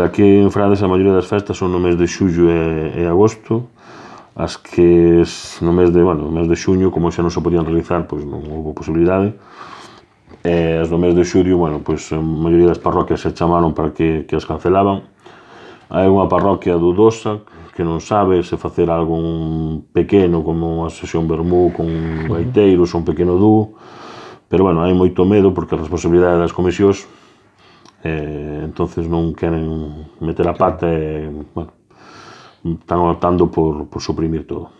Aquí en Frades a maioría das festas son no mes de xullo e agosto, as que no mes de xuño, como xa non se podían realizar, pois non houve posibilidade, e as do mes de xullo, pois a maioría das parroquias se chamaron para que as cancelaban. Hai unha parroquia dudosa que non sabe se facer algo pequeno, como unha sesión vermú con gaiteiros ou un pequeno dúo, pero hai moito medo porque a responsabilidade das comisións, entonces non queren meter a pata e están optando por suprimir todo.